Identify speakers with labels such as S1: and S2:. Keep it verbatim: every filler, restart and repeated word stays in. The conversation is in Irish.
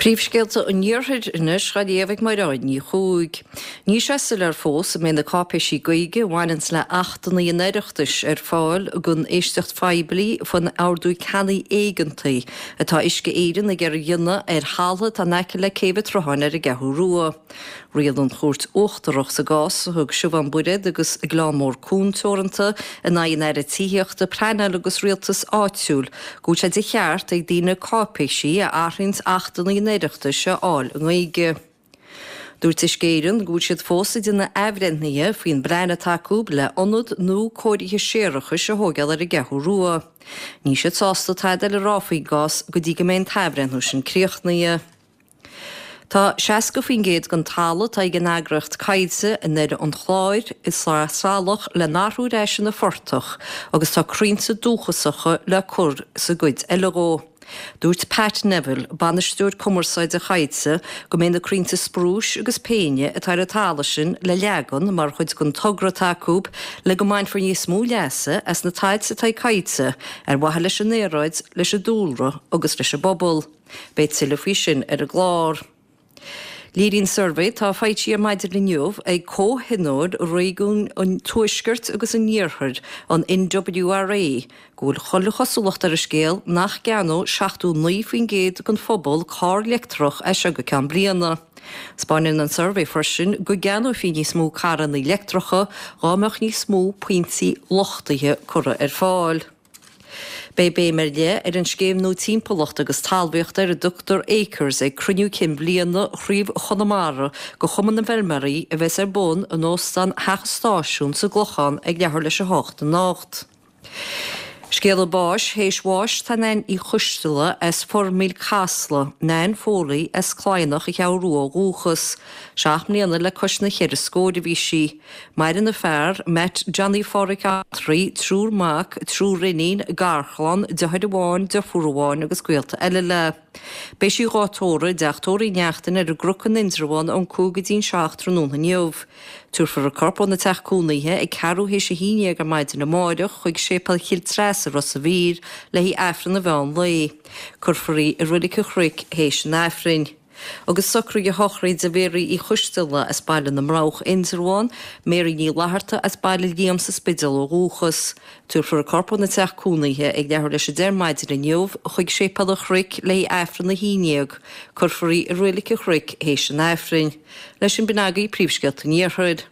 S1: Príomhscéalta an Iarthair anois á léamh ag Mairéad Ní Chuaig. Níl sé soiléir fós an mbeidh na cáipéisí Gaeilge a bhaineanns le Achtanna an Oireachtais ar fáil don éisteacht phoiblí faoin ordú ceannaigh éigeantaigh atá Uisce Éireann ag iarraidh a dhéanamh ar thalamh atá in aice le Céibh an tSrutháin ar an gCeathrú Rua. Rialaigh an Chúirt Uachtarach sa gcás a thug Siubhán Bairéad agus Gleann Mór Cuan Teoranta in aghaidh an Aire Tithíochta, Pleanála agus Rialtais Áitiúil go bhfuil sé de cheart ag daoine cáipéisí a athraíonns Achtanna an Oireachtais a fháil i nGaeilge. Dúirt Uisce Éireann go bhfuil siad fós ag déanamh athbhreithnithe faoin bplean atá acu le ionad nua cóirithe séarachais a thógáil ar an gCeathrú Rua. Níl siad sásta tada eile a rá faoin gcás go dtí go mbeidh an t-athbhreithniú sin críochnaithe. Tá seasca faoin gcéad den talamh atá ag an eagraíocht Coillte i nDoire an Chláir i Sraith Salach le n-athrú ar ais ina phortach agus tá crainnte dúchasacha le cur sa gcuid eile dhó. Dúirt Pat Neville, bainisteoir cumarsáide Choillte, go mbeidh na crainnte sprúis agus péine atá ar an talamh sin le leagan mar chuid den togra atá acu le go mbainfear níos mó leasa as na tailte atá ag Coillte ar mhaithe leis an aeráid, leis an dúlra agus leis an bpobal. Beidh tuilleadh faoi sin ar an gclár. Léiríonn suirbhé atá foilsithe ar maidin inniu ag Comhthionól Réigiún an Tuaiscirt agus an Iarthair, an NWRA, go bhfuil chuile chosúlacht ar an scéal nach gceannódh seachtó naoi faoin gcéad den phobal carr leictreach as seo go ceann bliana. 'Spáineann an suirbhé freisin go gceannófaí níos mó carranna leictreacha dhá mbeadh níos mó pointí luchtaithe curtha ar fáil. Beidh béim ar leith ar an scéim nua timpeallachta agus talmhaíochta ar a dtugtar Acres ag cruinniú cinn bhliana Chraobh Chonamara de Chumann na bhFeilméaraí a bheas ar bun in Óstán Theach an Stáisiúin sa gClochán ag leathuair leis a hocht anocht. Scéala báis théis bháis tá Nan Uí Choisteala as Foirmíl Casla, Nan Foley as Cladhnach an Cheathrú Rua ó dhúchas. Seacht mbliana le cois na cheithre scóir a bhí sí. Maireann a fear, Matt Johnny Pháraic Altraí, triúr mac, triúr iníon, garchlann, deartháir amháin, deirfiúr amháin agus gaolta eile léi. Beidh sí dhá tórramh i dteach tórraimh Uí Neachtain ar an gCnoc in Indreabhán ón cúig go dtí'n seacht tráthnóna inniu. Tabharfar a corp óna teach cónaithe ag ceathrú théis a haon dhéag ar maidin amáireach chuig Séipéal Chill Treasa, Ros a' Mhíl, le haghaidh Aifreann an mheán lae. Cuirfear í i Roilig an Chnoic théis an Aifrinn. Agus socruithe sochraide Mhéaraí Uí Choisteala as Baile na mBroghach, Indreabhán, Mary Ní Fhlatharta as Baile Liam sa Spidéal ó dhúchas. Tabharfar a corp óna teach cónaithe ag leathuair leis a deich ar maidin inniu chuig Séipéal an Chnoic le haghaidh Aifreann a haon déag. Cuirfear í i Roilig an Chnoic théis an Aifrinn. Leis sin b'in agaibh príomhscéalta an Iarthair.